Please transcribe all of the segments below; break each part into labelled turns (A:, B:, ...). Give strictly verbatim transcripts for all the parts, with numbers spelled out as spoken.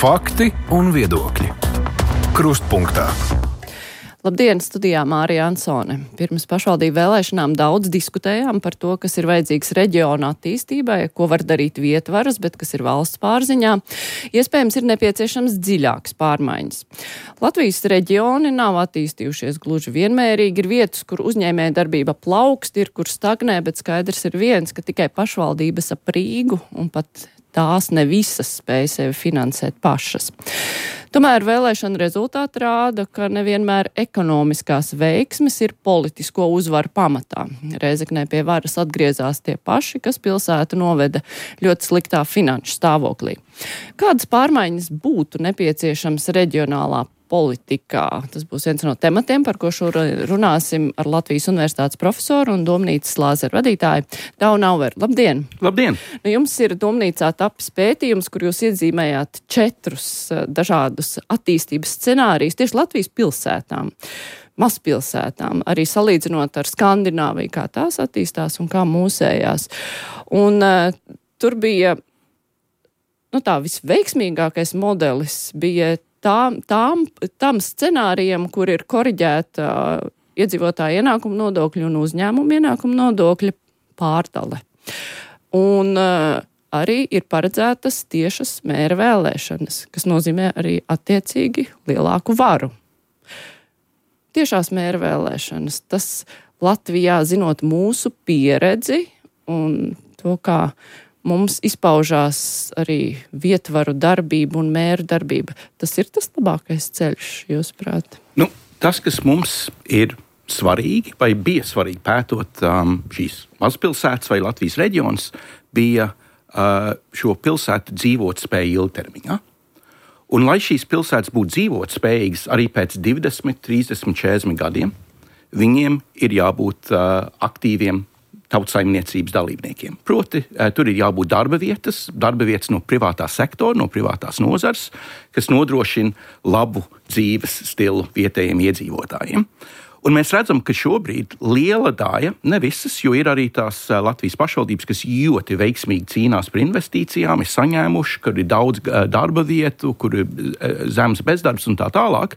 A: Fakti un viedokļi. Krustpunktā.
B: Labdien, studijā Mārija Ansone. Pirms pašvaldību vēlēšanām daudz diskutējām par to, kas ir vajadzīgs reģiona attīstībai, ko var darīt vietvaras, bet kas ir valsts pārziņā. Iespējams, ir nepieciešams dziļāks pārmaiņas. Latvijas reģioni nav attīstījušies gluži vienmērīgi. Ir vietas, kur uzņēmēja darbība plaukst, ir, kur stagnē, bet skaidrs ir viens, ka tikai pašvaldības ap Rīgu un pat tās ne visas spēj sevi finansēt pašas. Tomēr vēlēšana rezultāti rāda, ka nevienmēr ekonomiskās veiksmes ir politisko uzvaru pamatā. Rēzeknē pie varas atgriezās tie paši, kas pilsētu noveda ļoti sliktā finanšu stāvoklī. Kādas pārmaiņas būtu nepieciešams reģionālā politikā? Tas būs viens no tematiem, par ko šodien runāsim ar Latvijas Universitātes profesoru un domnīcas lāzeru vadītāju Daunu Auveru. Labdien!
C: Labdien!
B: Nu, jums ir domnīcā tapis pētījums, kur jūs iedzīmējāt četrus dažādus attīstības scenārijus tieši Latvijas pilsētām, mazpilsētām, arī salīdzinot ar Skandināviju, kā tās attīstās un kā mūsējās. Un uh, tur bija, nu tā, visveiksmīgākais modelis bija Tām, tām, tam scenārijam, kur ir koriģēta uh, iedzīvotāja ienākuma nodokļa un uzņēmuma ienākuma nodokļa pārdale. Un uh, arī ir paredzētas tiešas mēra vēlēšanas, kas nozīmē arī attiecīgi lielāku varu. Tiešās mēra vēlēšanas, tas Latvijā, zinot mūsu pieredzi un to, kā mums izpaužās arī vietvaru darbība un mēru darbība. Tas ir tas labākais ceļš, jūsuprāt?
C: Nu, tas, kas mums ir svarīgi, vai bija svarīgi pētot um, šīs mazpilsētas vai Latvijas reģions, bija uh, šo pilsētu dzīvotspēju ilgtermiņā. Un, lai šīs pilsētas būtu dzīvotspējīgas arī pēc divdesmit, trīsdesmit, četrdesmit gadiem, viņiem ir jābūt uh, aktīviem tautsaimniecības dalībniekiem. Proti, tur ir jābūt darba vietas, darba vietas no privātā sektora, no privātās nozars, kas nodrošina labu dzīves stilu vietējiem iedzīvotājiem. Un mēs redzam, ka šobrīd liela daļa, ne visas, jo ir arī tās Latvijas pašvaldības, kas ļoti veiksmīgi cīnās par investīcijām, ir saņēmuši, kur ir daudz darba vietu, kur ir zemes bezdarbs un tā tālāk.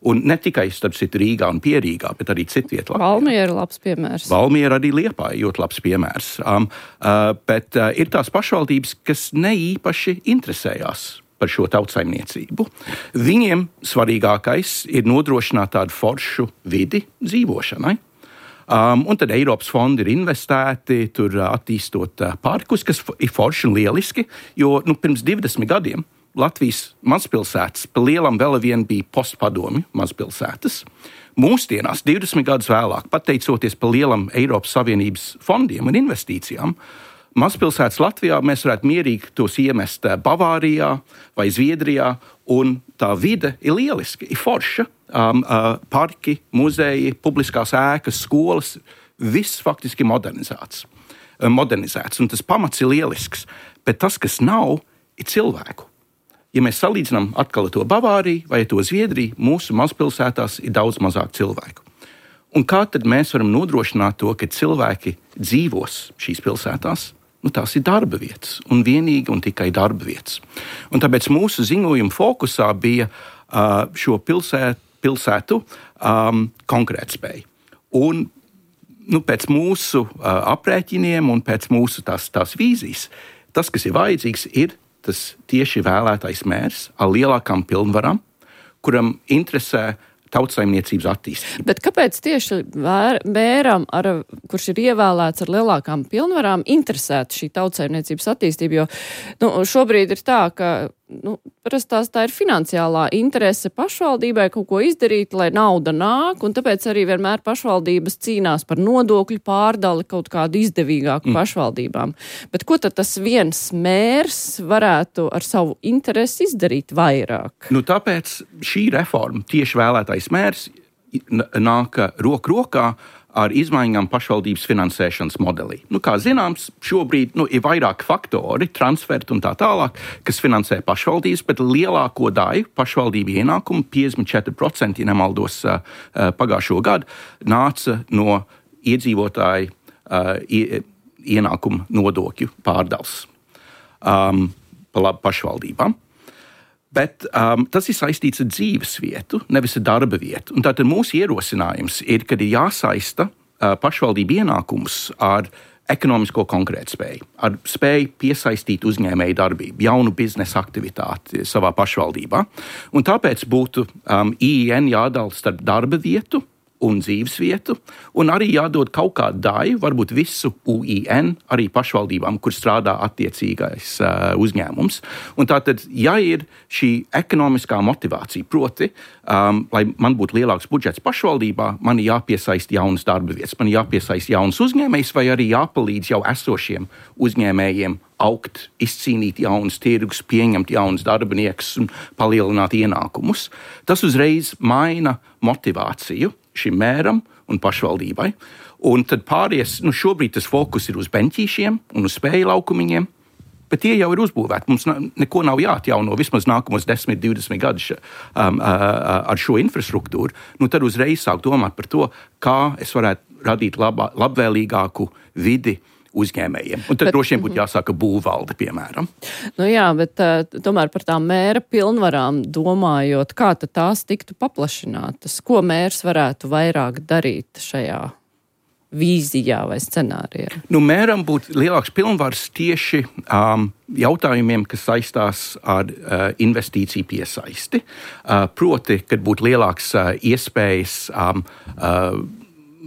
C: Un ne tikai starp citu Rīgā un Pierīgā, bet arī citviet.
B: Valmiera ir labs piemērs.
C: Valmiera arī Liepāja ļoti labs piemērs. Um, uh, bet uh, ir tās pašvaldības, kas neīpaši interesējās par šo tautsaimniecību. Viņiem svarīgākais ir nodrošināt tādu foršu vidi dzīvošanai. Um, un tad Eiropas fondi ir investēti, tur uh, attīstot uh, parkus, kas ir forši un lieliski, jo nu, pirms divdesmit gadiem Latvijas mazpilsētas pa lielam vēl vien bija postpadomju mazpilsētas. Mūsdienās, divdesmit gadus vēlāk, pateicoties pa lielam Eiropas Savienības fondiem un investīcijām, mazpilsētas Latvijā mēs varētu mierīgi tos iemest Bavārijā vai Zviedrijā, un tā vide ir lieliski, ir forša. Um, uh, parki, muzeji, publiskās ēkas, skolas, viss faktiski modernizēts. Uh, modernizēts, un tas pamats ir lielisks, bet tas, kas nav, ir cilvēku. Ja mēs salīdzinām atkal to Bavāriju vai to Zviedriju, mūsu mazpilsētās ir daudz mazāk cilvēku. Un kā tad mēs varam nodrošināt to, ka cilvēki dzīvos šīs pilsētās? Nu, tās ir darba vietas, un vienīgi un tikai darba vietas. Un tāpēc mūsu ziņojuma fokusā bija uh, šo pilsētu, pilsētu um, konkrētspēju. Un nu, pēc mūsu uh, aprēķiniem un pēc mūsu tās, tās vīzijas, tas, kas ir vajadzīgs, ir tas tieši vēlētais mērs ar lielākām pilnvarām, kuram interesē tautsaimniecības attīstību.
B: Bet kāpēc tieši vēr, mēram, ar, kurš ir ievēlēts ar lielākām pilnvarām, interesētu šī tautsaimniecības attīstība? Jo nu, šobrīd ir tā, ka nu, parastās tā ir finansiālā interese pašvaldībai kaut ko izdarīt, lai nauda nāk, un tāpēc arī vienmēr pašvaldības cīnās par nodokļu pārdali kaut kādu izdevīgāku mm. pašvaldībām. Bet ko tad tas viens mērs varētu ar savu interesi izdarīt vairāk?
C: Nu, tāpēc šī reforma, tieši vēlētais mērs, nāk roku rokā ar izmaiņām pašvaldības finansēšanas modelī. Nu, kā zināms, šobrīd nu, ir vairāki faktori, transferti un tā tālāk, kas finansē pašvaldības, bet lielāko daļu pašvaldību ienākumu, piecdesmit četri procenti, ja nemaldos, pagājušo gadu, nāca no iedzīvotāju ienākumu nodokļu pārdals um, pašvaldībām. Bet um, tas ir saistīts ar dzīves vietu, nevis ar darba vietu. Un tātad mūsu ierosinājums ir, ka ir jāsaista uh, pašvaldību ienākums ar ekonomisko konkurētspēju, ar spēju piesaistīt uzņēmēju darbību, jaunu biznesa aktivitāti savā pašvaldībā. Un tāpēc būtu um, I I N jādala starp darba vietu un dzīves vietu, un arī jādod kaut kādu daļu, varbūt visu U I N, arī pašvaldībām, kur strādā attiecīgais uh, uzņēmums. Un tātad, ja ir šī ekonomiskā motivācija, proti, um, lai man būtu lielāks budžets pašvaldībā, man ir jāpiesaist jaunas darba vietas, man ir jāpiesaist jaunas uzņēmējs, vai arī jāpalīdz jau esošiem uzņēmējiem augt, izcīnīt jaunas tirgus, pieņemt jaunas darbiniekus un palielināt ienākumus. Tas uzreiz maina motivāciju šim mēram un pašvaldībai. Un tad pāries, nu šobrīd tas fokus ir uz beņķīšiem un uz spēju laukumiņiem, bet tie jau ir uzbūvēti. Mums neko nav jāatjauno vismaz nākamos desmit, divdesmit gadus um, ar šo infrastruktūru. Nu tad uzreiz sāk domāt par to, kā es varētu radīt labā, labvēlīgāku vidi uzņēmējiem. Un tad bet, droši vien būtu jāsāka būvvalde, piemēram.
B: Nu jā, bet uh, tomēr par tām mēra pilnvarām domājot, kā tad tās tiktu paplašinātas? Ko mērs varētu vairāk darīt šajā vīzijā vai scenārijā?
C: Nu, mēram būtu lielāks pilnvars tieši um, jautājumiem, kas saistās ar uh, investīciju piesaisti. Uh, proti, kad būtu lielāks uh, iespējas um, uh,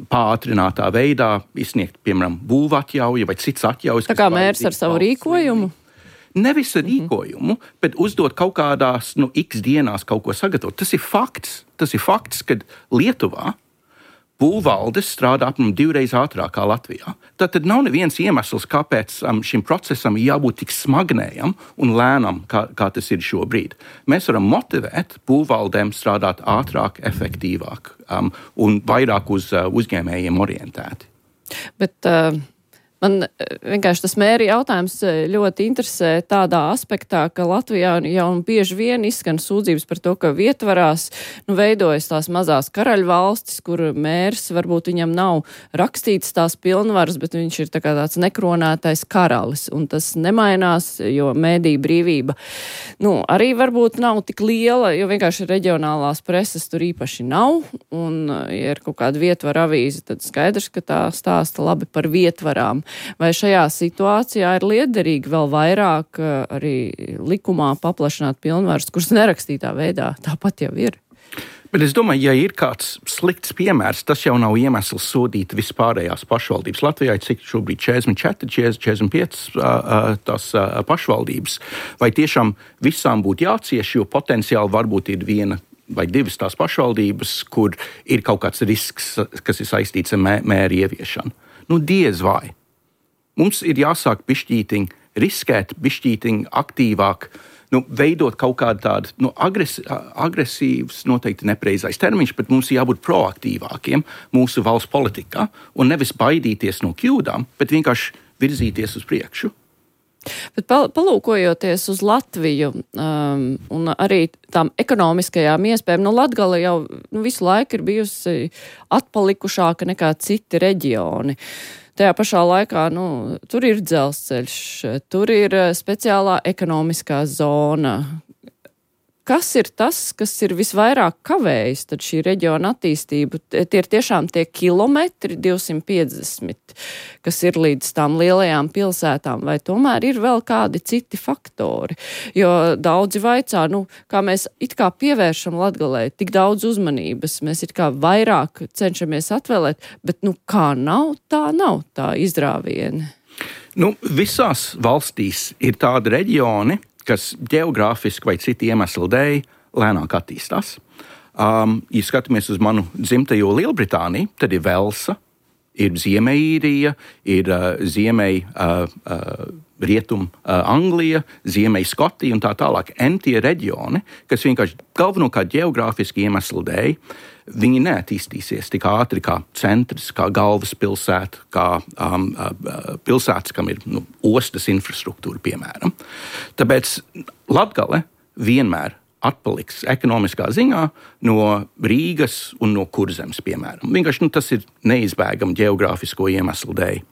C: pātrinātā veidā izsniegt, piemēram, būvatļauju vai cits atļaujas.
B: Tā kā mērs ar savu rīkojumu?
C: Nevis ar rīkojumu, mm-hmm. bet uzdot kaut kādās, nu, x dienās kaut ko sagatavot. Tas ir fakts. Tas ir fakts, kad Lietuvā būvvaldes strādā apmēram divreiz ātrāk kā Latvijā. Tātad nav neviens iemesls, kāpēc um, šim procesam ir jābūt tik smagnējam un lēnam, kā, kā tas ir šobrīd. Mēs varam motivēt būvvaldēm strādāt ātrāk, efektīvāk um, un vairāk uz uh, uzņēmējiem orientēti.
B: Bet uh, man vienkārši tas mēri jautājums ļoti interesē tādā aspektā, ka Latvijā jau bieži vien izskan sūdzības par to, ka vietvarās nu, veidojas tās mazās karaļu valstis, kur mērs varbūt viņam nav rakstīts tās pilnvaras, bet viņš ir tā kā tāds nekronētais karalis, un tas nemainās, jo mēdīja brīvība nu, arī varbūt nav tik liela, jo vienkārši reģionālās preses tur īpaši nav, un ja ir kaut kāda vietvara avīze, tad skaidrs, ka tā stāsta labi par vietvarām. Vai šajā situācijā ir liederīgi vēl vairāk arī likumā paplašināt pilnvaras, kuras nerakstītā veidā tāpat jau ir?
C: Bet es domāju, ja ir kāds slikts piemērs, tas jau nav iemesls sodīt vispārējās pašvaldības. Latvijā ir cik šobrīd četrdesmit četri, četrdesmit pieci tās pašvaldības. Vai tiešām visām būtu jācieš, jo potenciāli varbūt ir viena vai divas tās pašvaldības, kur ir kaut kāds risks, kas ir saistīts ar mē, mēri ieviešanu? Nu, diez vai. Mums ir jāsāk bišķītiņ riskēt, bišķītiņ aktīvāk, nu, veidot kaut kādu tādu nu, agres, agresīvs, noteikti nepreizais termiņš, bet mums ir jābūt proaktīvākiem mūsu valsts politikā un nevis baidīties no kļūdām, bet vienkārši virzīties uz priekšu.
B: Bet palūkojoties uz Latviju um, un arī tām ekonomiskajām iespējām, nu Latgale jau nu, visu laiku ir bijusi atpalikušāka nekā citi reģioni. Tajā pašā laikā, nu, tur ir dzelzceļš, tur ir speciālā ekonomiskā zona. Kas ir tas, kas ir visvairāk kavējis tad šī reģiona attīstību? Tie ir tiešām tie kilometri, divsimt piecdesmit, kas ir līdz tām lielajām pilsētām, vai tomēr ir vēl kādi citi faktori? Jo daudzi vaicā, nu, kā mēs it kā pievēršam Latgalei tik daudz uzmanības, mēs it kā vairāk cenšamies atvēlēt, bet, nu, kā nav, tā nav tā izrāvieni.
C: Nu, visās valstīs ir tādi reģioni, kas geogrāfiski vai citu iemeslu dēļ lēnāk attīstās. Um, ja skatāmies uz manu dzimtajo Lielbritāniju, tad ir Velsa, ir Ziemeļīrija, ir uh, Ziemeļ uh, uh, Rietum uh, Anglija, Ziemeļ Skotija un tā tālāk. En tie reģioni, kas vienkārši galvenokārt geogrāfiski iemeslu dēļ, viņi neattīstīsies tik ātri kā centrs, kā galvaspilsēta, kā um, pilsētas, kam ir nu, ostas infrastruktūra, piemēram. Tāpēc Latgale vienmēr atpaliks ekonomiskā ziņā no Rīgas un no Kurzemes, piemēram. Vienkārši nu, tas ir neizbēgami geogrāfisko iemeslu dēļ.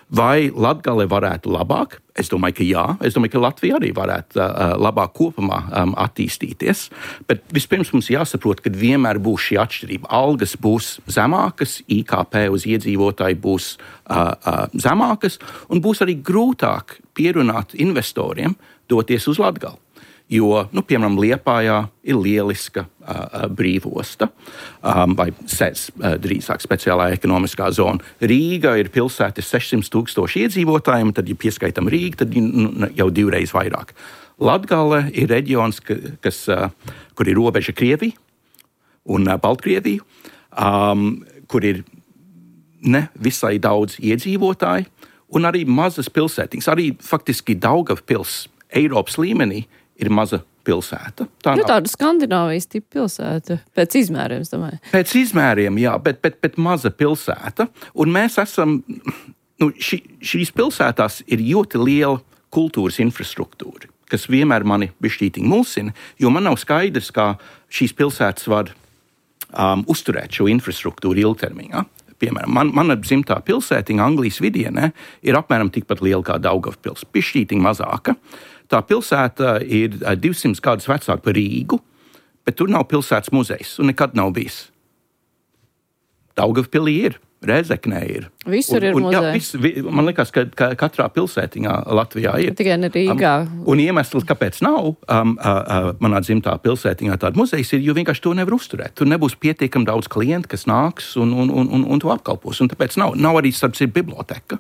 C: Vai Latgale varētu labāk? Es domāju, ka jā. Es domāju, ka Latvija arī varētu uh, labāk kopumā um, attīstīties. Bet vispirms mums jāsaprot, ka vienmēr būs šī atšķirība. Algas būs zemākas, I K P uz iedzīvotāju būs uh, uh, zemākas, un būs arī grūtāk pierunāt investoriem doties uz Latgali. Jo, nu, piemēram, Liepājā ir lieliska uh, brīvosta, um, vai S E Z, uh, drīzāk speciālā ekonomiskā zona. Rīga ir pilsēta sešsimt tūkstoši iedzīvotājiem, tad, ja pieskaitam Rīgu, tad nu, jau divreiz vairāk. Latgale ir reģions, kas, uh, kur ir robeža Krievija un uh, Baltkrieviju, um, kur ir ne visai daudz iedzīvotāji, un arī mazas pilsētiņas. Arī faktiski Daugavpils Eiropas līmenī ir maza pilsēta. Tā
B: nu, tāda Skandināvijas tipa pilsēta, pēc izmēriem, es domāju.
C: Pēc izmēriem, jā, bet, bet, bet maza pilsēta. Un mēs esam, nu, ši, šīs pilsētās ir ļoti liela kultūras infrastruktūra, kas vienmēr mani bišķītiņi mulsina, jo man nav skaidrs, kā šīs pilsētas var um, uzturēt šo infrastruktūru ilgtermiņā. Piemēram, man, mana dzimtā pilsētiņa Anglijas vidienē ir apmēram tikpat liela kā Daugavpils, bišķītiņi mazāka. Tā pilsēta ir divsimt gadus vecāka par Rīgu, bet tur nav pilsētas muzejs un nekad nav bijis. Daugavpilī ir, Rēzeknē ir.
B: Visur un, ir
C: un,
B: muzeji.
C: Jā, vis, vi, man liekas, ka, ka katrā pilsētiņā Latvijā ir.
B: Tikai ne Rīgā.
C: Um, un iemesls, kāpēc nav um, uh, uh, manā dzimtā pilsētiņā tāda muzejas, ir, jo vienkārši to nevar uzturēt. Tur nebūs pietiekami daudz klientu, kas nāks un, un, un, un, un to apkalpos. Un tāpēc nav, nav arī starp citu biblioteka.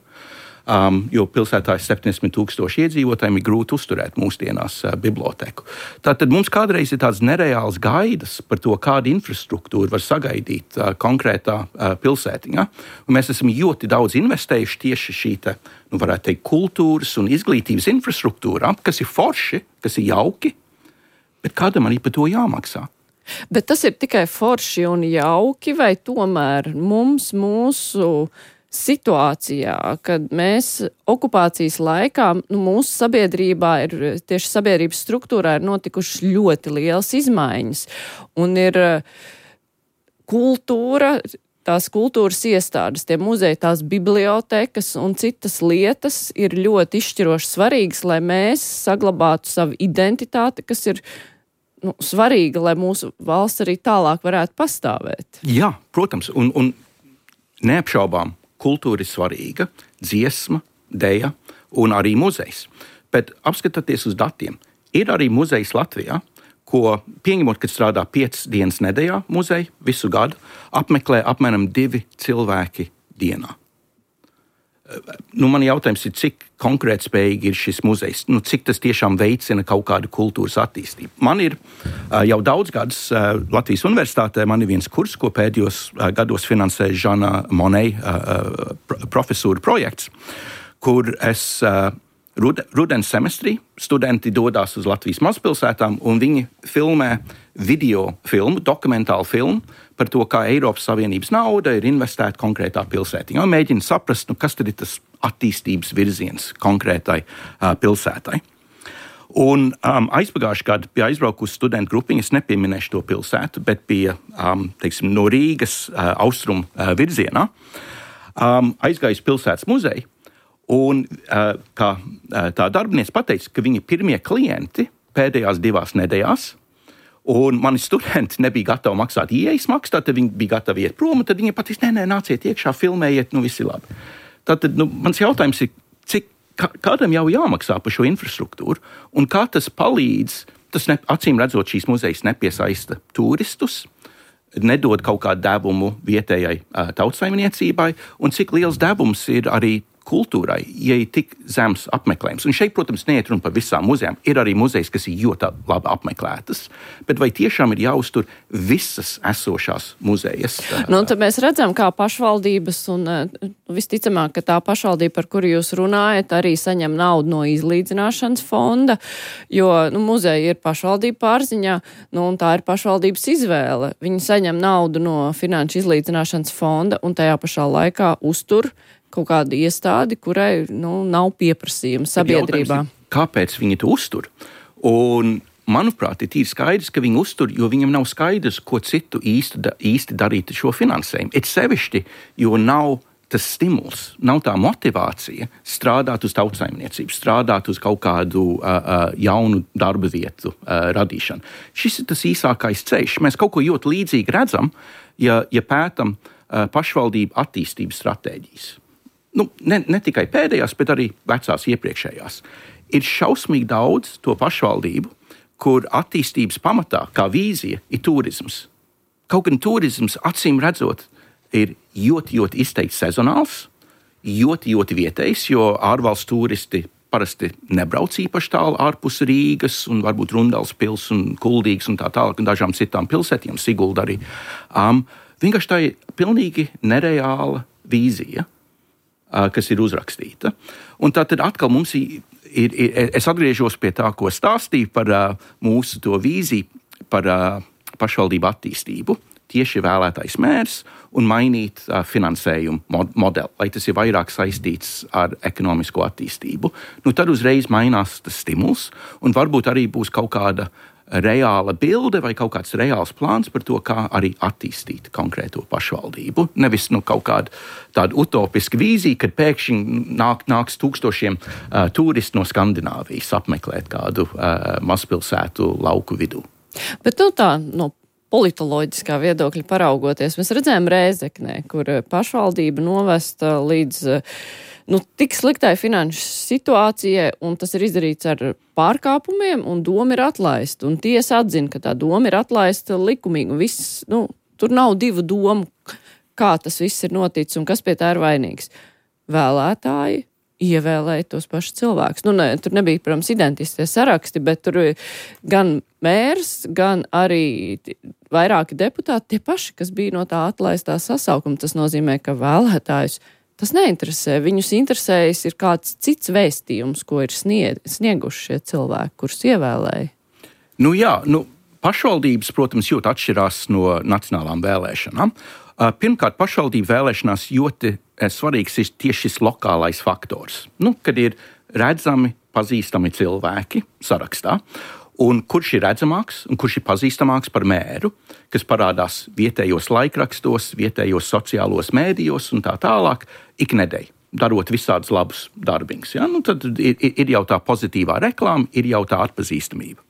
C: Um, jo pilsētā ir septiņdesmit tūkstoši iedzīvotājiem, ir grūti uzturēt mūsdienās uh, biblioteku. Tātad mums kādreiz ir tāds nereāls gaidas par to, kādu infrastruktūru var sagaidīt uh, konkrētā uh, pilsētiņā. Un mēs esam ļoti daudz investējuši tieši šī, te, nu, varētu teikt, kultūras un izglītības infrastruktūrā, kas ir forši, kas ir jauki, bet kādam arī par to jāmaksā.
B: Bet tas ir tikai forši un jauki, vai tomēr mums mūsu situācijā, kad mēs okupācijas laikā, nu, mūsu sabiedrībā ir, tieši sabiedrības struktūrā ir notikušas ļoti lielas izmaiņas. Un ir kultūra, tās kultūras iestādes, tie muzeji, tās bibliotekas un citas lietas ir ļoti izšķiroši svarīgas, lai mēs saglabātu savu identitāti, kas ir nu, svarīga, lai mūsu valsts arī tālāk varētu pastāvēt.
C: Jā, protams, un, un neapšaubām, kultūra ir svarīga, dziesma, deja un arī muzejs. Bet apskatoties uz datiem, ir arī muzejs Latvijā, ko pieņemot, kad strādā piecas dienas nedēļā muzeja visu gadu, apmeklē apmēram divi cilvēki dienā. Nu, man jautājums ir, cik konkrētspējīgi ir šis muzejs, nu, cik tas tiešām veicina kaut kādu kultūras attīstību. Man ir uh, jau daudz gadus uh, Latvijas universitātē, man ir viens kurs, ko pēdējos uh, gados finansē Žana Monei uh, profesūra projekts, kur es uh, rud, rudens semestrī studenti dodās uz Latvijas mazpilsētām un viņi filmē video filmu, dokumentālu filmu par to, kā Eiropas Savienības nauda ir investēta konkrētā pilsētiņā. Un mēģina saprast, nu, kas tad ir tas attīstības virziens konkrētai uh, pilsētai. Un um, aizpagājušajā gadā bija aizbraukusi studentu grupiņa, es nepieminēšu to pilsētu, bet bija um, teiksim, no Rīgas uh, austrumu uh, virzienā, um, aizgājusi pilsētas muzeju, un uh, kā uh, tā darbiniece pateica, ka viņi pirmie klienti pēdējās divās nedēļās, un mani studenti nebija gatavi maksāt ieejas maksu, tad viņi bija gatavi iet prom, un tad viņi pateica, nē, nē, nāciet iekšā, filmējiet, nu viss ir labi. Tātad, nu, mans jautājums ir, cik kā, kādam jau jāmaksā par šo infrastruktūru, un kā tas palīdz, tas ne, acīm redzot šīs muzejas nepiesaista turistus, nedod kaut kādu devumu vietējai uh, tautsaimniecībai, un cik liels devums ir arī kultūrai, ja ir tik zems apmeklējums. Un šeit, protams, neiet runa par visām muzejām. Ir arī muzejas, kas ir ļoti labi apmeklētas, bet vai tiešām ir jāuztur visas esošās muzejas?
B: Nu, tad mēs redzam, kā pašvaldības un visticamāk, ka tā pašvaldība, par kuru jūs runājat, arī saņem naudu no izlīdzināšanas fonda, jo nu, muzeja ir pašvaldība pārziņā, nu, un tā ir pašvaldības izvēle. Viņi saņem naudu no finanšu izlīdzināšanas fonda un tajā pašā laikā uztur kaut kādu iestādi, kurai nu, nav pieprasījuma sabiedrībā.
C: Kāpēc viņi to uztur? Un, manuprāt, ir tīri skaidrs, ka viņi uztur, jo viņam nav skaidrs, ko citu īsti, īsti darīt šo finansējumu. Ir sevišķi, jo nav tas stimuls, nav tā motivācija strādāt uz tautsaimniecību, strādāt uz kaut kādu uh, uh, jaunu darba vietu uh, radīšanu. Šis ir tas īsākais ceļš. Mēs kaut ko ļoti līdzīgi redzam, ja, ja pētam uh, pašvaldību attīstības stratēģijas. Nu, ne, ne tikai pēdējās, bet arī vecās iepriekšējās. Ir šausmīgi daudz to pašvaldību, kur attīstības pamatā, kā vīzija, ir turisms. Kaut gan turisms, acīm redzot, ir ļoti, ļoti izteikti sezonāls, ļoti, ļoti vietējs, jo ārvalstu turisti parasti nebrauc īpaši tālu ārpus Rīgas un varbūt Rundals pils un Kuldīgas un tā tālāk un dažām citām pilsētiem, Sigulda arī. Um, vienkārši tā ir pilnīgi nereāla vīzija, uh, kas ir uzrakstīta. Un tā tad atkal mums ir, ir, ir es atgriežos pie tā, ko stāstīju par uh, mūsu to vīziju par uh, pašvaldību attīstību. Tieši vēlētais mērs un mainīt uh, finansējumu mod- modeli, lai tas ir vairāk saistīts ar ekonomisko attīstību. Nu, tad uzreiz mainās tas stimuls, un varbūt arī būs kaut kāda reāla bilde vai kaut kāds reāls plāns par to, kā arī attīstīt konkrēto pašvaldību. Nevis nu, kaut kāda tāda utopiska vīzija, kad pēkšņi nāk, nāks tūkstošiem uh, turistu no Skandināvijas apmeklēt kādu uh, mazpilsētu lauku vidū.
B: Bet nu tā, no politoloģiskā viedokļa paraugoties, mēs redzējām Rēzeknē, kur pašvaldība novesta līdz nu, tik sliktai finanšu situācijai, un tas ir izdarīts ar pārkāpumiem, un doma ir atlaista. Un tiesa atzina, ka tā doma ir atlaista likumīgi. Un viss, nu, tur nav divu domu, kā tas viss ir noticis un kas pie tā ir vainīgs. Vēlētāji ievēlēja tos pašus cilvēkus. Nu, ne, tur nebija, protams, identiskie saraksti, bet tur gan mērs, gan arī vairāki deputāti, tie paši, kas bija no tā atlaistā sasaukuma. Tas nozīmē, ka vēlētājus tas neinteresē. Viņus interesējas ir kāds cits vēstījums, ko ir snieg, snieguši šie cilvēki, kurus ievēlēja.
C: Nu jā, nu, pašvaldības, protams, ļoti atšķirās no nacionālām vēlēšanām. Pirmkārt, pašvaldību vēlēšanās ļoti svarīgs ir tieši šis lokālais faktors. Nu, kad ir redzami, pazīstami cilvēki sarakstā, un kurš ir redzamāks un kurš ir pazīstamāks par mēru, kas parādās vietējos laikrakstos, vietējos sociālos mēdījos un tā tālāk, iknedēļ, darot visādus labus darbiņus. Ja? Nu, tad ir, ir jau tā pozitīvā reklāma, ir jau tā atpazīstamība.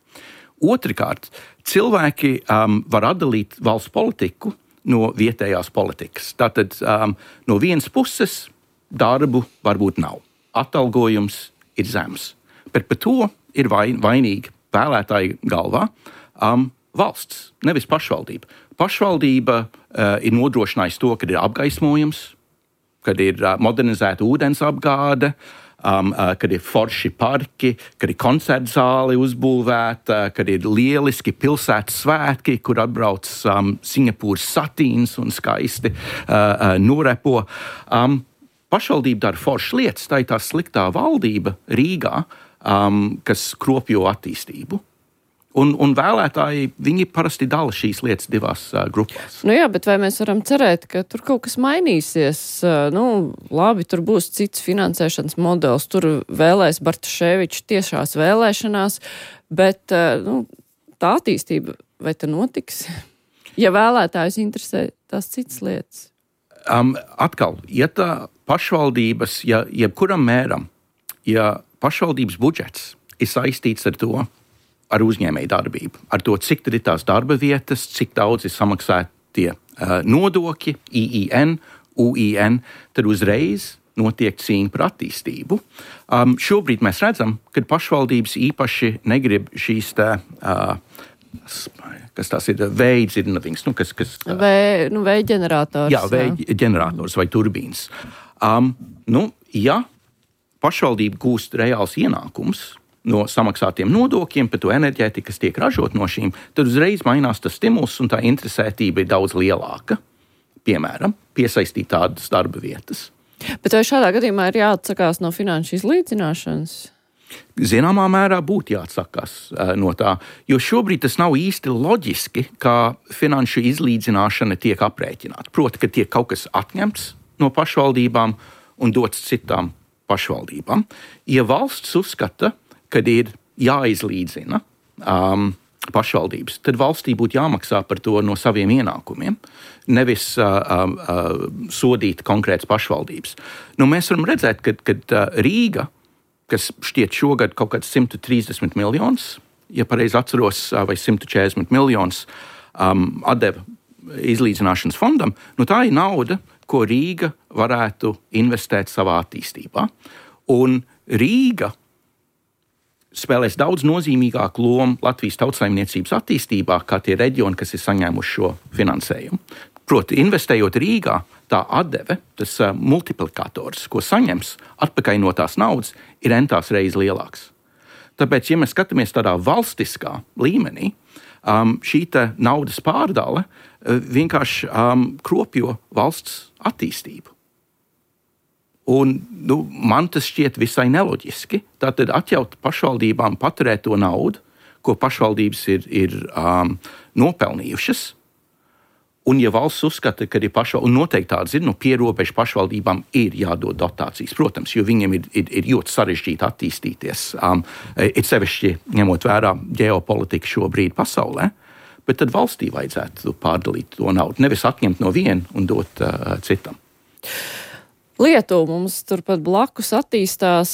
C: Otrkārt, cilvēki um, var atdalīt valsts politiku no vietējās politikas. Tātad um, no vienas puses darbu varbūt nav. Atalgojums ir zems. Bet par to ir vain, vainīga vēlētāju galvā um, valsts, nevis pašvaldība. Pašvaldība uh, ir nodrošinājusi to, ka ir apgaismojums, kad ir uh, modernizēta ūdens apgāde, Um, uh, kad ir forši parki, kad ir koncertu zāle uzbūvēta, kad ir lieliski pilsētas svētki, kur atbrauc um, Singapūras satīns un skaisti uh, uh, norepo. Um, pašvaldība dara foršas lietas, tā ir tā sliktā valdība Rīgā, um, kas kropļo attīstību. Un, un vēlētāji, viņi parasti dala šīs lietas divās uh, grupās.
B: Nu jā, bet vai mēs varam cerēt, ka tur kaut kas mainīsies? Uh, nu, labi, tur būs cits finansēšanas modelis, tur vēlēs Bartaševiču tiešās vēlēšanās, bet uh, nu, tā attīstība vai tā notiks? Ja vēlētājus interesē tās citas lietas?
C: Um, atkal, ja tā pašvaldības, ja jebkuram mēram, ja pašvaldības budžets ir saistīts ar to, ar uzņēmēju darbību, ar to, cik tad ir tās darba vietas, cik daudz ir samaksātie uh, nodokļi, I I N, U I N, tad uzreiz notiek cīņa par attīstību. Um, šobrīd mēs redzam, ka pašvaldības īpaši negrib šīs tā, uh, kas tās ir, vēja dzirnavings, nu, kas... kas uh,
B: Vē, nu, vēja ģenerators.
C: Jā, vēja ģenerators vai turbīns. Um, nu, ja pašvaldība gūst reāls ienākums no samaksātiem nodokļiem, par to enerģētiku, kas tiek ražot no šīm, tad uzreiz mainās tas stimuls un tā interesētība ir daudz lielāka. Piemēram, piesaistīt tādas darba vietas.
B: Bet vai šādā gadījumā ir jāatsakās no finanšu izlīdzināšanas?
C: Zināmā mērā būtu jāatsakās uh, no tā, jo šobrīd tas nav īsti loģiski, kā finanšu izlīdzināšana tiek aprēķināta. Proti, ka tiek kaut kas atņemts no pašvaldībām un dots citām pašvaldībām. Ja valsts uzskata, kad ir jāizlīdzina um, pašvaldības, tad valstī būtu jāmaksā par to no saviem ienākumiem, nevis uh, uh, sodīt konkrētas pašvaldības. Nu, mēs varam redzēt, ka kad, uh, Rīga, kas šķiet šogad kaut kāds simt trīsdesmit miljonus, ja pareizi atceros, uh, vai simt četrdesmit miljonus um, atdeva izlīdzināšanas fondam, nu tā ir nauda, ko Rīga varētu investēt savā attīstībā. Un Rīga spēlēs daudz nozīmīgāku lomu Latvijas tautsaimniecības attīstībā, kā tie reģioni, kas ir saņēmuši šo finansējumu. Proti, investējot Rīgā, tā atdeve, tas uh, multiplikators, ko saņems atpakaļ no tās naudas, ir entās reizes lielāks. Tāpēc, ja mēs skatāmies tādā valstiskā līmenī, um, šī naudas pārdale uh, vienkārši um, kropjo valsts attīstību. Un, nu, man tas šķiet visai neloģiski. Tātad atļaut pašvaldībām paturēt to naudu, ko pašvaldības ir, ir um, nopelnījušas. Un, ja valsts uzskata, ka ir pašvaldības, un noteikti tāds ir, nu, pierobežu pašvaldībām ir jādod dotācijas, protams, jo viņiem ir, ir, ir ļoti sarežģīti attīstīties. Um, ir sevišķi ņemot vērā ģeopolitiku šobrīd pasaulē, bet tad valstī vajadzētu pārdalīt to naudu, nevis atņemt no viena un dot uh, citam.
B: Lietuva mums turpat blakus attīstās,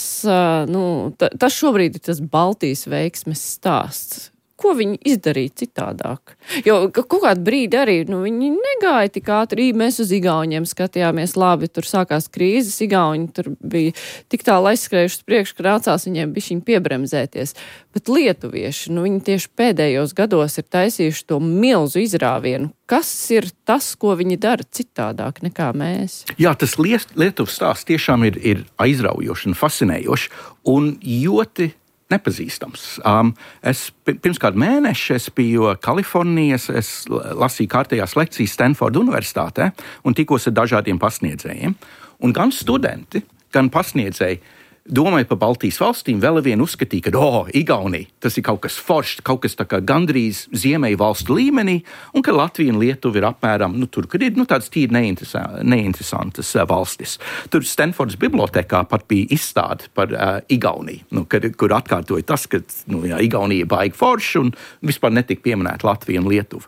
B: nu, tas šobrīd ir tas Baltijas veiksmes stāsts. Ko viņi izdarīja citādāk? Jo kaut kādu brīdi arī, nu, viņi negāja tik ātri, mēs uz Igauņiem skatījāmies labi, tur sākās krīzes, Igauņi tur bija tik tālu aizskrējuši priekš, ka nācās viņiem bišķiņ piebremzēties. Bet lietuvieši, nu, viņi tieši pēdējos gados ir taisījuši to milzu izrāvienu. Kas ir tas, ko viņi dara citādāk nekā mēs? Jā,
C: tas Lietuvas stāsts tiešām ir, ir aizraujoši un fascinējoši un ļoti nepazīstams. Um, es pirms kādu mēnešu es biju Kalifornijas, es lasīju kārtējās lekcijas Stanforda universitātē un tikos ar dažādiem pasniedzējiem. Un gan studenti, gan pasniedzēji domāju par Baltijas valstīm, vēl vien uzskatīja, ka, oh, Igaunija, tas ir kaut kas foršs, kaut kas tā kā gandrīz ziemeļu valstu līmenī, un ka Latvija un Lietuva ir apmēram, nu, tur, kad ir, nu, tādas tīri neinteresantas uh, valstis. Tur Stanfordas bibliotekā pat bija izstāde par uh, Igauniju, nu, kad, kur atkārtoja tas, ka, nu, jā, Igaunija baigi forši un vispār netika pieminēta Latvija un Lietuva.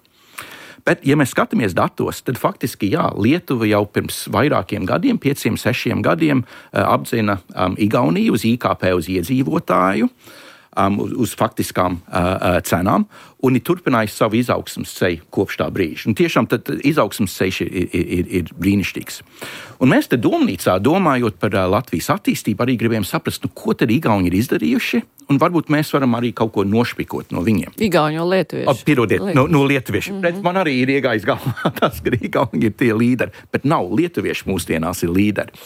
C: Bet, ja mēs skatāmies datos, tad faktiski, jā, Lietuva jau pirms vairākiem gadiem, pieciem, sešiem gadiem, uh, apdzina um, Igauniju uz I K P uz iedzīvotāju, um, uz, uz faktiskām uh, cenām, un ir turpinājis savu izaugsmas ceļu kopš tā brīža. Un tiešām tad izaugsmas ceļš ir, ir, ir, ir brīnišķīgs. Un mēs te domnīcā, domājot par uh, Latvijas attīstību, arī gribējām saprast, nu, ko tad Igauni ir izdarījuši, un varbūt mēs varam arī kaut ko nošpikot no viņiem.
B: Igauni jau lietuvieši.
C: O, pierodiet, lietuvieši. No, no lietuvieši. Mm-hmm. Redz, man arī ir iegājis galvā tas, ka Igauni ir tie līderi, bet nav, lietuvieši mūsdienās ir līderi.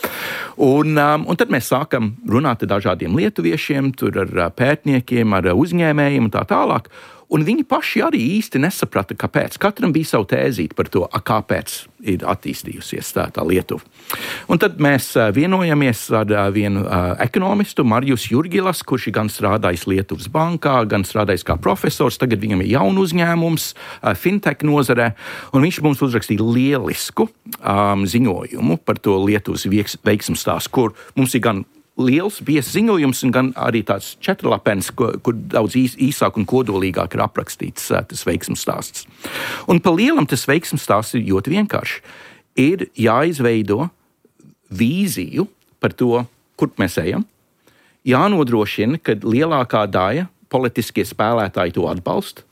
C: Un, um, un tad mēs sākam runāt ar dažādiem lietuviešiem, tur ar pētniekiem, ar uzņēmējiem un tā tālāk. Un viņi paši arī īsti nesaprata, kāpēc. Katram bija savu tēzīti par to, a, kāpēc ir attīstījusies tā, tā Lietuva. Un tad mēs vienojamies ar vienu uh, ekonomistu, Marjus Jurgilas, kurš ir gan strādājis Lietuvas bankā, gan strādājis kā profesors. Tagad viņam ir jaunu uzņēmums, uh, fintech nozarē, un viņš mums uzrakstīja lielisku um, ziņojumu par to Lietuvas veiksmes stāstu, kur mums ir gan liels biezs ziņojums un gan arī tāds četrlapens, kur, kur daudz īs, īsāk un kodolīgāk ir aprakstīts uh, tas veiksmes stāsts. Un pa lielam tas veiksmes stāsts ir ļoti vienkārši. Ir jāizveido vīziju par to, kur mēs ejam. Jānodrošina, ka lielākā daļa politiskie spēlētāji to atbalsta,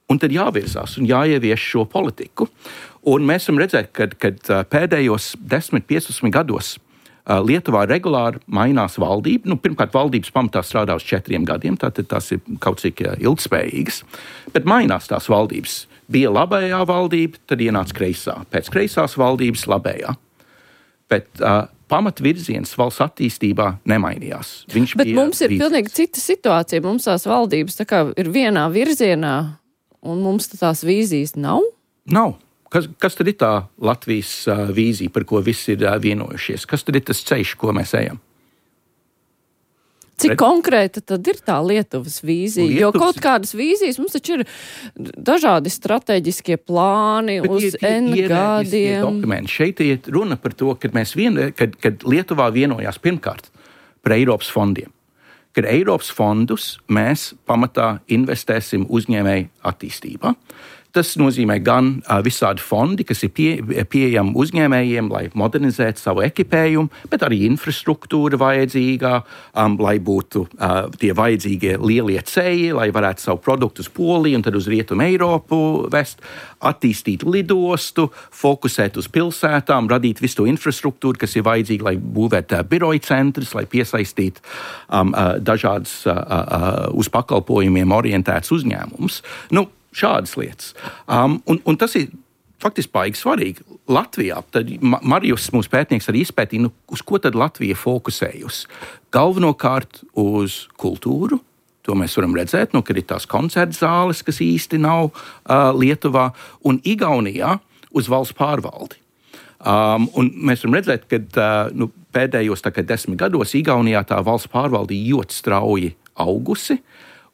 C: un tad jāvirzās un jāievieš šo politiku. Un mēs varam redzēt, ka, kad pēdējos desmit, piecdesmit gados Lietuvā regulāri mainās valdība. Nu, pirmkārt, valdības pamatā strādā uz četriem gadiem, tātad tās ir kaut cik ilgspējīgas, bet mainās tās valdības. Bija labējā valdība, tad ienāca kreisā. Pēc kreisās valdības labējā. Bet uh, pamatvirziens valsts attīstībā nemainījās. Viņš
B: bet mums ir rīcības. Pilnīgi cita situācija. Mums tās valdības tā kā ir vienā virzienā, un mums tās vīzijas nav?
C: Nav. Kas, kas tad ir tā Latvijas uh, vīzija, par ko visi ir uh, vienojušies? Kas tad ir tas ceļš, ko mēs ejam?
B: Cik Red... konkrēta tad ir tā Lietuvas vīzija? Lietuvas... Jo kaut kādas vīzijas mums taču ir dažādi strateģiskie plāni bet uz ir, N gadiem.
C: Šeit ir runa par to, kad, mēs vien, kad, kad Lietuvā vienojās pirmkārt par Eiropas fondiem. ka Eiropas fondus mēs pamatā investēsim uzņēmēju attīstībā. Tas nozīmē gan uh, visādi fondi, kas ir pie, pieejami uzņēmējiem, lai modernizētu savu ekipējumu, bet arī infrastruktūra vajadzīgā, um, lai būtu uh, tie vajadzīgie lielie ceļi, lai varētu savu produktu uz Poliju un tad uz Rietumu Eiropu vest, attīstīt lidostu, fokusēt uz pilsētām, radīt visu to infrastruktūru, kas ir vajadzīga, lai būvētu uh, biroju centrus, lai piesaistītu um, uh, dažādas uh, uh, uz pakalpojumiem orientētas uzņēmumus. Nu, šādas lietas. Um, un, un tas ir faktiski baigi svarīgi. Latvijā, tad Marijus, mūsu pētnieks, arī izpētīja, nu, uz ko tad Latvija fokusējusi. Galvenokārt uz kultūru. To mēs varam redzēt, nu, kad ir tās koncertu zāles, kas īsti nav uh, Lietuvā, un Igaunijā uz valsts pārvaldi. Um, un mēs varam redzēt, ka uh, nu, pēdējos tā, desmit gados Igaunijā tā valsts pārvalde ļoti strauji augusi,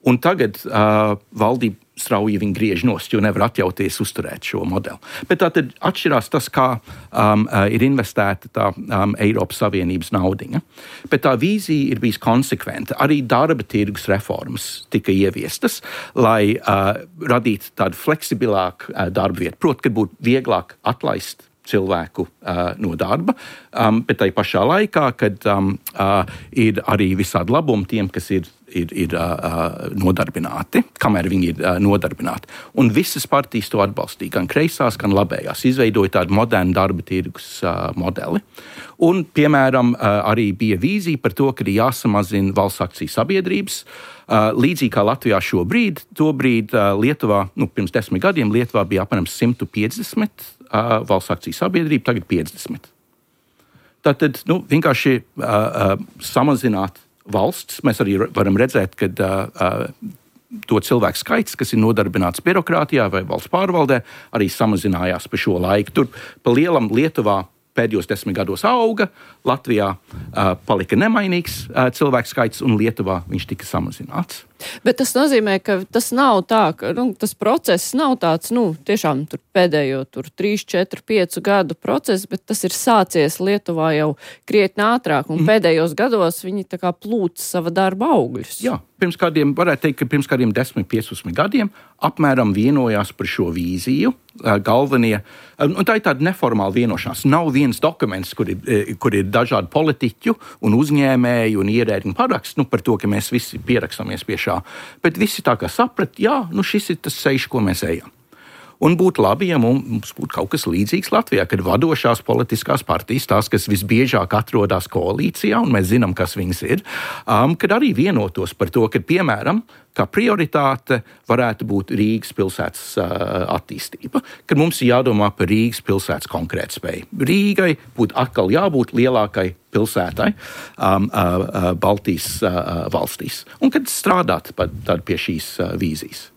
C: un tagad uh, valdība strauji viņi griež nost, jo nevar atļauties uzturēt šo modeli. Bet tā tad atšķirās tas, kā um, ir investēta tā um, Eiropas Savienības naudiņa. Bet tā vīzija ir bijis konsekventa. Arī darba tirgus reformas tika ieviestas, lai uh, radītu tādu fleksibilāku uh, darba vietu. Proti, ka būtu vieglāk atlaist cilvēku uh, no darba, um, bet tai pašā laikā, kad um, uh, ir arī visādi labumi tiem, kas ir ir, ir uh, nodarbināti, kamēr viņi ir uh, nodarbināti. Un visas partijas to atbalstīja, gan kreisās, gan labējās, izveidoja tādu modernu darba tirgus uh, modeli. Un, piemēram, uh, arī bija vīzija par to, ka ir jāsamazina valsts akciju sabiedrības. Uh, līdzīgi kā Latvijā šobrīd, tobrīd uh, Lietuvā, nu, pirms desmit gadiem Lietuvā bija apmēram simt piecdesmit uh, valsts akciju sabiedrību, tagad piecdesmit. Tātad, nu, vienkārši uh, uh, samazināt valsts. Mēs arī varam redzēt, ka uh, to cilvēku skaits, kas ir nodarbināts birokrātijā vai valsts pārvaldē, arī samazinājās pa šo laiku. Tur pa lielam Lietuvā pēdējos desmit gados auga, Latvijā uh, palika nemainīgs uh, cilvēku skaits un Lietuvā viņš tika samazināts.
B: Bet tas nozīmē, ka tas nav tā, ka nu, tas process nav tāds, nu, tiešām tur pēdējo tur trīs, četri, piecu gadu process, bet tas ir sācies Lietuvā jau krietni ātrāk, un mm. pēdējos gados viņi tā kā plūc sava darba augļus.
C: Jā, pirms kādiem, varētu teikt, ka pirms kādiem desmit, piecdesmit gadiem apmēram vienojās par šo vīziju, galvenie, un tā ir tāda neformāla vienošanās. Nav viens dokuments, kur ir, kur ir dažādi politiķu un uzņēmēju un ierēdņu paraksts, nu, par to, ka mēs visi pierakstāmies pie šā. Bet visi tā kā saprat, jā, nu šis ir tas ceļš, ko mēs ejam. Un būtu labi, ja mums būtu kaut kas līdzīgs Latvijā, kad vadošās politiskās partijas, tās, kas visbiežāk atrodas koalīcijā, un mēs zinām, kas viņas ir, um, kad arī vienotos par to, ka, piemēram, kā prioritāte varētu būt Rīgas pilsētas uh, attīstība, kad mums ir jādomā par Rīgas pilsētas konkrētspēju. Rīgai būtu atkal jābūt lielākai pilsētai um, uh, Baltijas uh, valstīs, un kad strādāt tad pie šīs uh, vīzijas.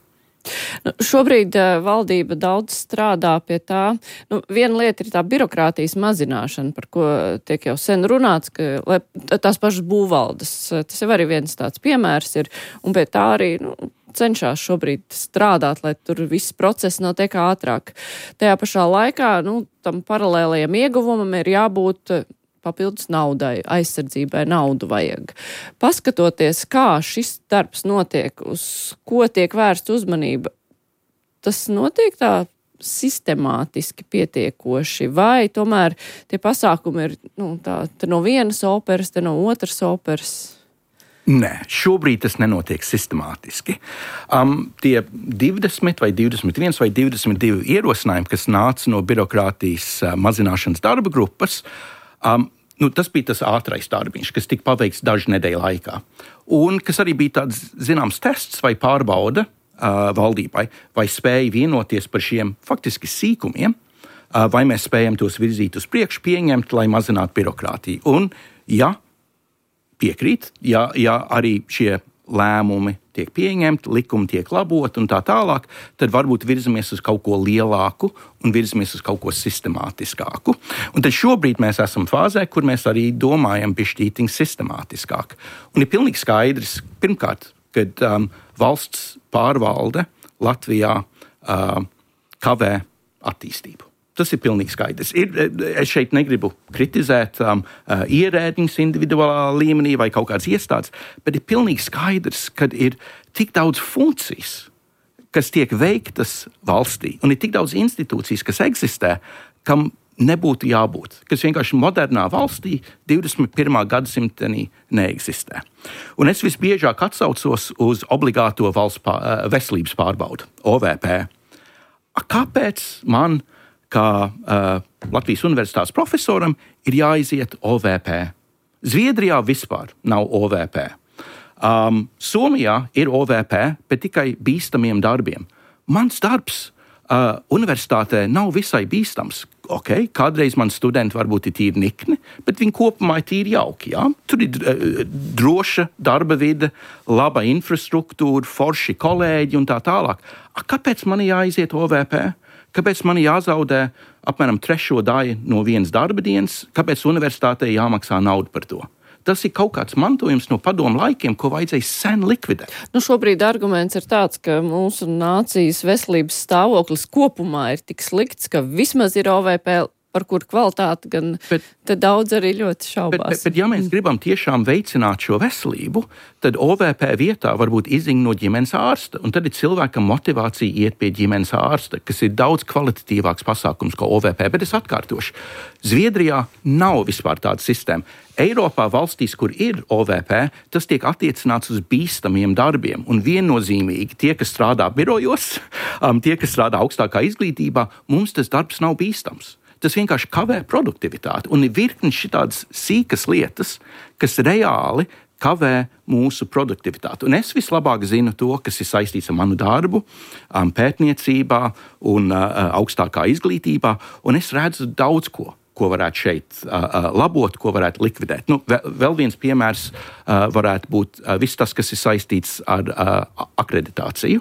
B: Nu, šobrīd uh, valdība daudz strādā pie tā. Nu, viena lieta ir tā birokrātijas mazināšana, par ko tiek jau sen runāts, ka lai, tās pašas būvvaldes, tas jau arī viens tāds piemērs ir, un pie tā arī nu, cenšas šobrīd strādāt, lai tur viss process notiek ātrāk. Tajā pašā laikā nu, tam paralēlajam ieguvumam ir jābūt papildus naudai, aizsardzībai naudu vajag. Paskatoties, kā šis darbs notiek, uz ko tiek vērsta uzmanība, tas notiek tā sistemātiski pietiekoši, vai tomēr tie pasākumi ir nu, tā, te no vienas operas, te no otras operas?
C: Nē, šobrīd tas nenotiek sistemātiski. Um, tie divdesmit vai divdesmit viens vai divdesmit divi ierosinājumi, kas nāca no birokrātijas uh, mazināšanas darba grupas, Um, nu, tas bija tas ātrais darbiņš, kas tika paveikts dažu nedēļu laikā. Un kas arī bija tāds zināms tests vai pārbauda uh, valdībai, vai spēja vienoties par šiem faktiski sīkumiem, uh, vai mēs spējam tos virzīt uz priekšu, pieņemt, lai mazinātu birokrātiju. Un, ja piekrīt, ja, ja arī šie lēmumi tiek pieņemti, likumi tiek laboti un tā tālāk, tad varbūt virzamies uz kaut ko lielāku un virzamies uz kaut ko sistemātiskāku. Un tad šobrīd mēs esam fāzē, kur mēs arī domājam bišķītiņ sistemātiskāk. Un ir pilnīgi skaidrs, pirmkārt, kad um, valsts pārvalde Latvijā uh, kavē attīstību. Tas ir pilnīgi skaidrs. Ir, es šeit negribu kritizēt um, uh, ierēdņus individuālā līmenī vai kaut kādas iestādes, bet ir pilnīgi skaidrs, ka ir tik daudz funkcijas, kas tiek veiktas valstī, un ir tik daudz institūcijas, kas eksistē, kam nebūtu jābūt, kas vienkārši modernā valstī divdesmit pirmā gadsimtenī neeksistē. Un es visbiežāk atsaucos uz obligāto valsts pār, veselības pārbaudu, O V P. Kāpēc man, kā uh, Latvijas universitātes profesoram, ir jāiziet O V P? Zviedrijā vispār nav O V P. Um, Somijā ir O V P, bet tikai bīstamiem darbiem. Mans darbs uh, universitātē nav visai bīstams. Okay, kādreiz man studenti varbūt ir tīri nikni, bet viņi kopumā ir tīri jauki. Jā? Tur ir uh, droša darba vide, laba infrastruktūra, forši kolēģi un tā tālāk. A, kāpēc man jāiziet O V P? Kāpēc man jāzaudē apmēram trešo daļu no vienas darba dienas? Kāpēc universitātei jāmaksā naudu par to? Tas ir kaut kāds mantojums no padomu laikiem, ko vajadzēja sen likvidēt.
B: Nu, šobrīd arguments ir tāds, ka mūsu nācijas veselības stāvoklis kopumā ir tik slikts, ka vismaz ir O V P, par kur kvalitāti gan bet, te daudz arī ļoti šaubās.
C: Bet, bet, bet ja mēs gribam tiešām veicināt šo veselību, tad O V P vietā varbūt izziņa no ģimenes ārsta, un tad ir cilvēkam motivācija iet pie ģimenes ārsta, kas ir daudz kvalitatīvāks pasākums kā O V P, bet es atkārtošu. Zviedrijā nav vispār tāda sistēma. Eiropā valstīs, kur ir O V P, tas tiek attiecināts uz bīstamiem darbiem, un viennozīmīgi tie, kas strādā birojos, um, tie, kas strādā augstākā izglītībā, mums tas darbs nav bīstams. Tas vienkārši kavē produktivitāti, un ir virkni šitādas sīkas lietas, kas reāli kavē mūsu produktivitāti. Un es vislabāk zinu to, kas ir saistīts ar manu darbu, um, pētniecībā un uh, augstākā izglītībā, un es redzu daudz ko, ko varētu šeit uh, labot, ko varētu likvidēt. Nu, vēl viens piemērs uh, varētu būt uh, viss tas, kas ir saistīts ar uh, akreditāciju.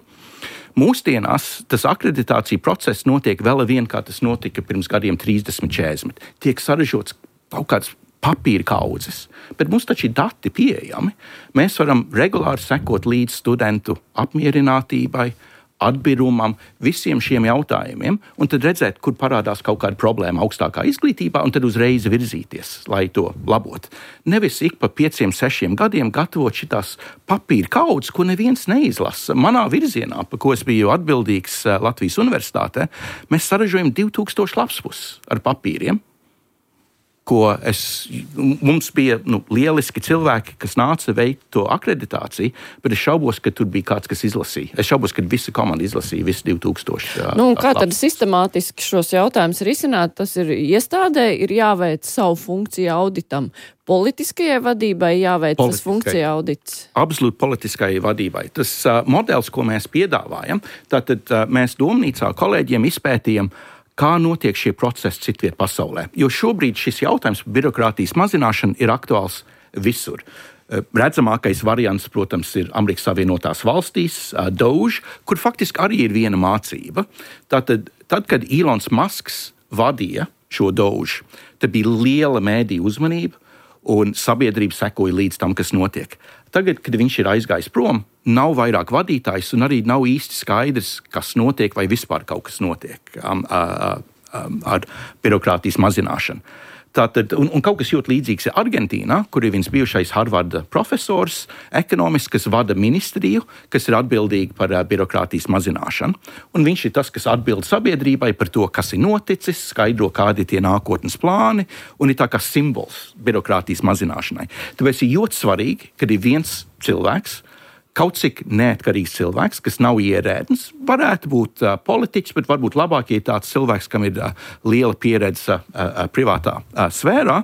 C: Mūsdienās tas akreditācija process notiek vēl vien, kā tas notika pirms gadiem trīsdesmit, četrdesmit. Tiek saražots kaut kāds papīra kaudzes, bet mums taču ir dati pieejami. Mēs varam regulāri sekot līdz studentu apmierinātībai, atbirumam, visiem šiem jautājumiem, un tad redzēt, kur parādās kaut kāda problēma augstākā izglītībā, un tad uzreiz virzīties, lai to labotu. Nevis ik pa pieciem, sešiem gadiem gatavot šitās papīra kaudzes, ko neviens neizlasa. Manā virzienā, pa ko es biju atbildīgs Latvijas universitātē, mēs saražojam divi tūkstoši lapspuses ar papīriem, ko es, mums bija nu, lieliski cilvēki, kas nāca veikt to akreditāciju, bet es šaubos, ka tur bija kāds, kas izlasīja. Es šaubos, ka visa komanda izlasīja visu divi tūkstoši.
B: Nu, kā tad sistemātiski šos jautājumus risināt? Tas ir iestādē, ir jāveic savu funkciju auditam. Politiskajai vadībai jāveic tas funkcija audits?
C: Absolūti politiskajai vadībai. Tas uh, modelis, ko mēs piedāvājam, tātad uh, mēs domnīcā kolēģiem izpētījam, kā notiek šie procesi citviet pasaulē. Jo šobrīd šis jautājums par birokrātijas mazināšanu ir aktuāls visur. Redzamākais variants, protams, ir Amerikas Savienotās valstīs, Doge, kur faktiski arī ir viena mācība. Tātad, tad, kad Elons Musks vadīja šo Doge, tad bija liela mēdīju uzmanība, un sabiedrība sekoja līdz tam, kas notiek. Tagad, kad viņš ir aizgājis prom, nav vairāk vadītājs un arī nav īsti skaidrs, kas notiek vai vispār kaut kas notiek um, uh, um, ar birokrātijas mazināšanu. Tātad, un, un kaut kas ļoti līdzīgs ir Argentīnā, kur ir viens bijušais Harvarda profesors, ekonomists, kas vada ministriju, kas ir atbildīgi par uh, birokrātijas mazināšanu. Un viņš ir tas, kas atbild sabiedrībai par to, kas ir noticis, skaidro, kādi ir tie nākotnes plāni, un ir tā kā simbols birokrātijas mazināšanai. Tāpēc ir ļoti svarīgi, kad ir viens cilvēks, kaut cik neatkarīgs cilvēks, kas nav ierēdnis, varētu būt uh, politiķis, bet varbūt labāk, ja ir tāds cilvēks, kam ir uh, liela pieredze uh, uh, privātā uh, sfērā,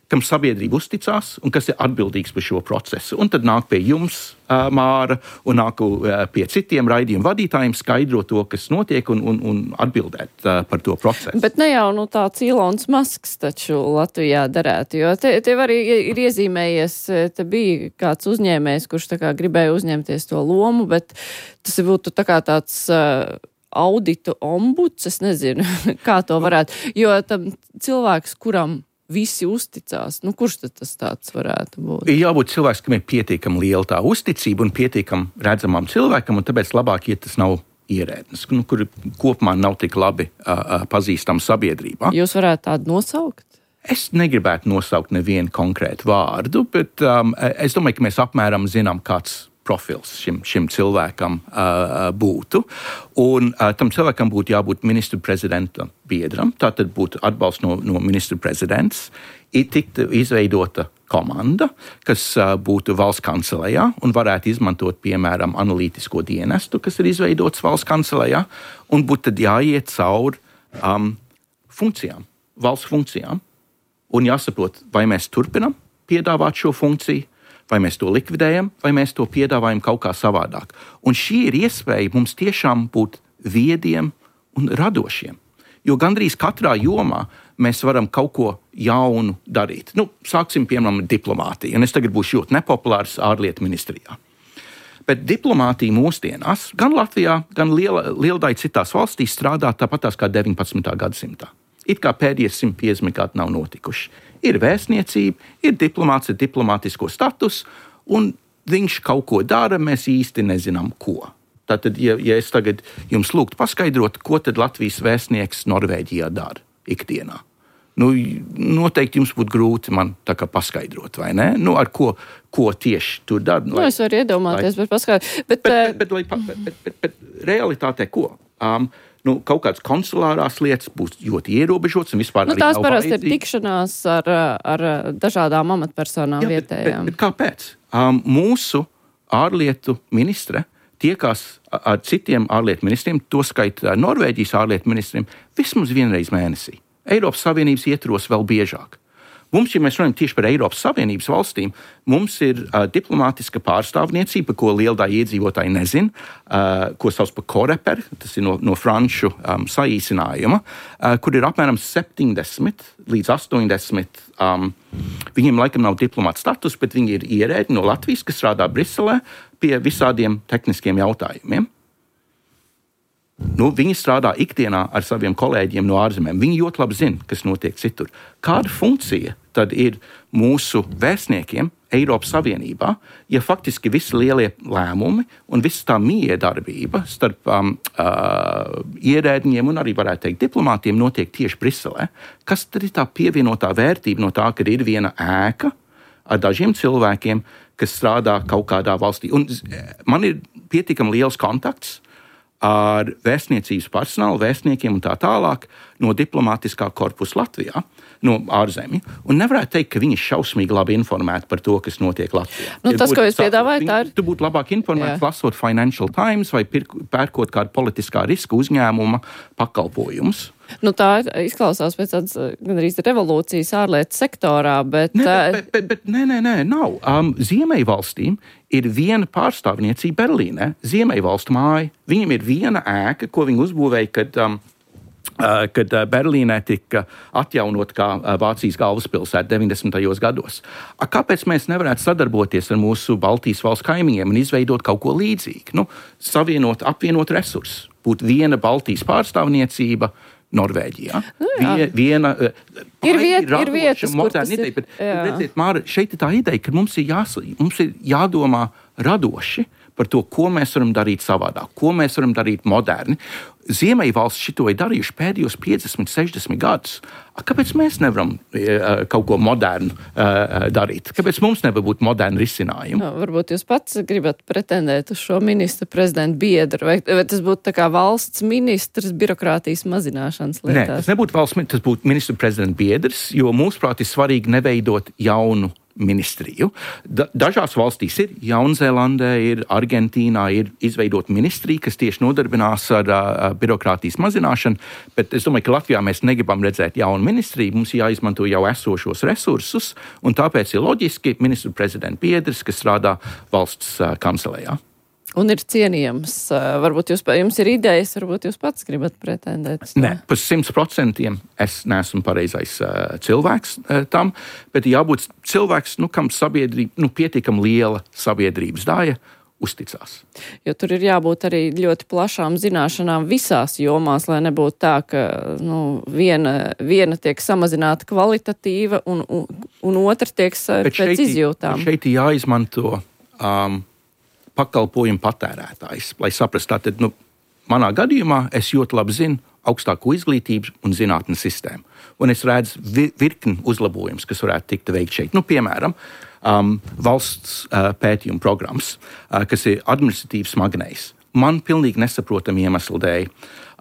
C: kam sabiedrība uzticās un kas ir atbildīgs par šo procesu. Un tad nāk pie jums, uh, Māra, un nāk uh, pie citiem raidījumu vadītājiem skaidrot to, kas notiek, un, un, un atbildēt uh, par to procesu.
B: Bet ne jau nu, tāds Elons Musks taču Latvijā darētu, jo te, tev arī ir iezīmējies, te bija kāds uzņēmējs, kurš tā kā gribēja uzņemties to lomu, bet tas būtu tā kā tāds uh, auditu ombuds, es nezinu, kā to varētu, jo tam cilvēks, kuram visi uzticās. Nu, kurš tad tas tāds varētu būt?
C: Ir jābūt cilvēks, kam ir pietiekami liela tā uzticība un pietiekami redzamam cilvēkam, un tāpēc labāk, ja tas nav ierēdnis, nu, kuri kopumā nav tik labi uh, pazīstami sabiedrībā.
B: Jūs varētu tādu nosaukt?
C: Es negribētu nosaukt nevienu konkrētu vārdu, bet um, es domāju, ka mēs apmēram zinām, kāds profils šim, šim cilvēkam uh, būtu. Un uh, tam cilvēkam būtu jābūt ministru prezidenta biedram, tātad būtu atbalsts no, no ministru prezidents, ir tiktu izveidota komanda, kas uh, būtu valsts kancelējā un varētu izmantot, piemēram, analītisko dienestu, kas ir izveidots valsts kancelējā, un būtu tad jāiet cauri um, funkcijām, valsts funkcijām. Un jāsaprot, vai mēs turpinam piedāvāt šo funkciju, vai mēs to likvidējam, vai mēs to piedāvājam kaut kā savādāk. Un šī ir iespēja mums tiešām būt viediem un radošiem. Jo gandrīz katrā jomā mēs varam kaut ko jaunu darīt. Nu, sāksim, piemēram, diplomātiju. Un es tagad būšu ļoti nepopulārs ārlietu ministrijā. Bet diplomātija mūsdienās, gan Latvijā, gan liela, liela daļa citās valstīs strādā tāpatās kā deviņpadsmitā gadsimtā. It kā pēdējie simt piecdesmit gadi nav notikuši. Ir vēstniecība, ir diplomāts ar diplomātisko status, un viņš kaut ko dara, mēs īsti nezinām, ko. Tātad, ja, ja es tagad jums lūgtu paskaidrot, ko tad Latvijas vēstnieks Norvēģijā dara ikdienā, nu, noteikti jums būtu grūti man tā kā paskaidrot, vai ne? Nu, ar ko, ko tieši tur dara.
B: Nu, lai, es varu iedomāties, lai, bet paskaidrot. Bet,
C: bet, bet, bet, bet, bet, bet, bet realitātē ko? Um, Nu, kaut kādas konsulārās lietas būs ļoti ierobežotas un vispār
B: nu,
C: arī
B: tās
C: nav
B: parasti ir
C: vajadzīgi.
B: tikšanās ar, ar dažādām amatpersonām
C: Jā,
B: vietējām.
C: Bet, bet, bet kāpēc? Um, mūsu ārlietu ministre tiekās ar citiem ārlietu ministriem, to skaitā Norvēģijas ārlietu ministriem, vismaz vienreiz mēnesī. Eiropas Savienības ietvaros vēl biežāk. Mums, ja mēs runājam tieši par Eiropas Savienības valstīm, mums ir uh, diplomātiska pārstāvniecība, ko liela daļa iedzīvotāji nezin, uh, ko sauc par Coreper, tas ir no, no franču um, saīsinājuma, uh, kur ir apmēram septiņdesmit līdz astoņdesmit. Um, viņiem laikam nav diplomāta status, bet viņi ir ierēdņi no Latvijas, kas strādā Briselē pie visādiem tehniskiem jautājumiem. Nu, viņi strādā ikdienā ar saviem kolēģiem no ārzemēm. Viņi ļoti labi zina, kas notiek citur. Kāda funkcija tad ir mūsu vēstniekiem Eiropas Savienībā, ja faktiski visi lielie lēmumi un visa tā miedarbība starp um, uh, ierēdņiem un arī, varētu teikt, diplomātiem notiek tieši Briselē? Kas tad ir tā pievienotā vērtība no tā, ka ir viena ēka ar dažiem cilvēkiem, kas strādā kaut kādā valstī? Un man ir pietiekami liels kontakts ar vēstniecības personālu, vēstniekiem un tā tālāk no diplomātiskā korpusa Latvijā, no ārzemju. Un nevarētu teikt, ka viņi ir šausmīgi labi informēti par to, kas notiek Latvijā.
B: Nu, tas, ko jūs piedāvājat, tā ir...
C: Tu būtu labāk informēts, lasot Financial Times vai pērkot kādu politiskā riska uzņēmuma pakalpojumus.
B: Nu, tā izklausās pēc tādas gandrīz revolūcijas ārlietu sektorā, bet...
C: Nē, bet, bet, bet nē, nē, nē, nav. Um, Ziemeļvalstīm ir viena pārstāvniecība Berlīnē, Ziemeļvalstu māja. Viņam ir viena ēka, ko viņi uzbūvēja, kad... Um, Uh, kad uh, Berlīnē tika atjaunot kā uh, Vācijas galvaspilsēta deviņdesmitajos gados. A, kāpēc mēs nevarētu sadarboties ar mūsu Baltijas valsts kaimiņiem un izveidot kaut ko līdzīgu? Nu, savienot, apvienot resursus. Būtu viena Baltijas pārstāvniecība Norvēģijā.
B: Nu,
C: Vie, viena, uh,
B: ir, viet, ir vietas, kur tas ir.
C: Bet, redziet, Māra, šeit ir tā ideja, ka mums ir, jās, mums ir jādomā radoši par to, ko mēs varam darīt savādāk, ko mēs varam darīt moderni. Ziemeļvalsts šito ir darījuši pēdējos piecdesmit, sešdesmit gadus. Kāpēc mēs nevaram uh, kaut ko modernu uh, darīt? Kāpēc mums nevar būt moderni risinājumi?
B: No, varbūt jūs pats gribat pretendēt uz šo ministra prezidenta biedru, vai, vai tas būtu tā kā valsts ministrs birokrātijas mazināšanas lietās?
C: Nē, tas nebūtu valsts ministrs, tas būtu ministra prezidenta biedrs, jo mūsuprāt ir svarīgi neveidot jaunu ministriju. Da, dažās valstīs ir, Jaunzēlandē ir, Argentīnā ir izveidota ministrija, kas tieši nodarbinās ar uh, birokrātijas mazināšanu, bet es domāju, ka Latvijā mēs negribam redzēt jaunu ministriju, mums jāizmanto jau esošos resursus, un tāpēc ir loģiski ministru prezidenta biedrs, kas strādā valsts uh, kancelējā.
B: Un ir cienījams. Varbūt jūs, jums ir idejas, varbūt jūs pats gribat pretendēt.
C: Nē, par simts procentiem es neesmu pareizais uh, cilvēks uh, tam, bet jābūt cilvēks, nu, kam sabiedrība, nu, pietiekam liela sabiedrības daļa uzticās.
B: Jo tur ir jābūt arī ļoti plašām zināšanām visās jomās, lai nebūtu tā, ka nu, viena, viena tiek samazināta kvalitatīva un, un, un otra tiek pēc šeit, izjūtām.
C: Šeit ir jāizmanto um, pakalpojumu patērētājs, lai saprastu, tātad, nu, manā gadījumā es ļoti labi zinu augstāko izglītības un zinātnes sistēmu. Un es redzu vi- virkni uzlabojumus, kas varētu tikt veikt šeit. Nu, piemēram, um, valsts uh, pētījuma programmas, uh, kas ir administratīvs smagnējs. Man pilnīgi nesaprotami iemesli dēļ.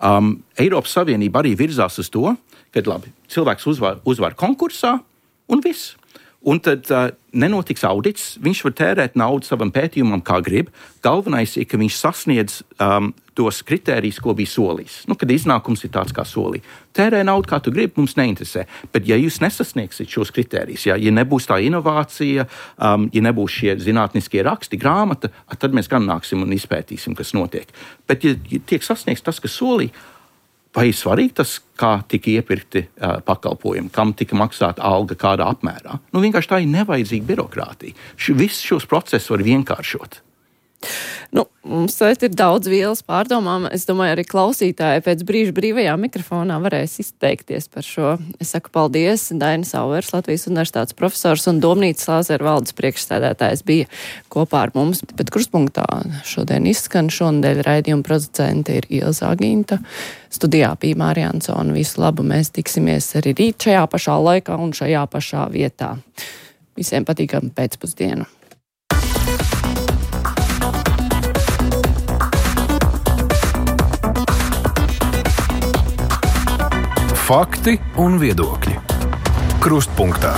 C: Um, Eiropas Savienība arī virzās uz to, ka labi, cilvēks uzvar, uzvar konkursā un viss. Un tad uh, nenotiks audits, viņš var tērēt naudu savam pētījumam, kā grib. Galvenais ir, ka viņš sasniedz um, tos kritērijus, ko bija solījis. Nu, kad iznākums ir tāds, kā solīja. Tērē naudu, kā tu gribi, mums neinteresē. Bet ja jūs nesasniegsiet šos kritērijus, ja, ja nebūs tā inovācija, um, ja nebūs šie zinātniskie raksti, grāmata, tad mēs gan nāksim un izpētīsim, kas notiek. Bet ja, ja tiek sasniegts tas, kas solīja, vai ir svarīgi tas, kā tika iepirkti uh, pakalpojumi, kam tika maksāta alga, kādā apmērā? Nu, vienkārši tā ir nevajadzīga birokrātija. Š, visus šos procesus var vienkāršot.
B: Nu, mums šeit ir daudz vielas pārdomām. Es domāju, arī klausītāji pēc brīža brīvajā mikrofonā varēs izteikties par šo. Es saku paldies. Dainis Auvers, Latvijas universitātes profesors un Domnīcas Lāzera valdes priekšsēdētājs bija kopā ar mums. Bet krustpunktā šodien izskan šonadēļ raidījuma producente ir Ilza Agīnta. Studijā bija Mārija Ansone. Visu labu, mēs tiksimies arī rīt šajā pašā laikā un šajā pašā vietā. Visiem patīkam pēcpusdienu.
A: Fakti un viedokļi. Krustpunktā.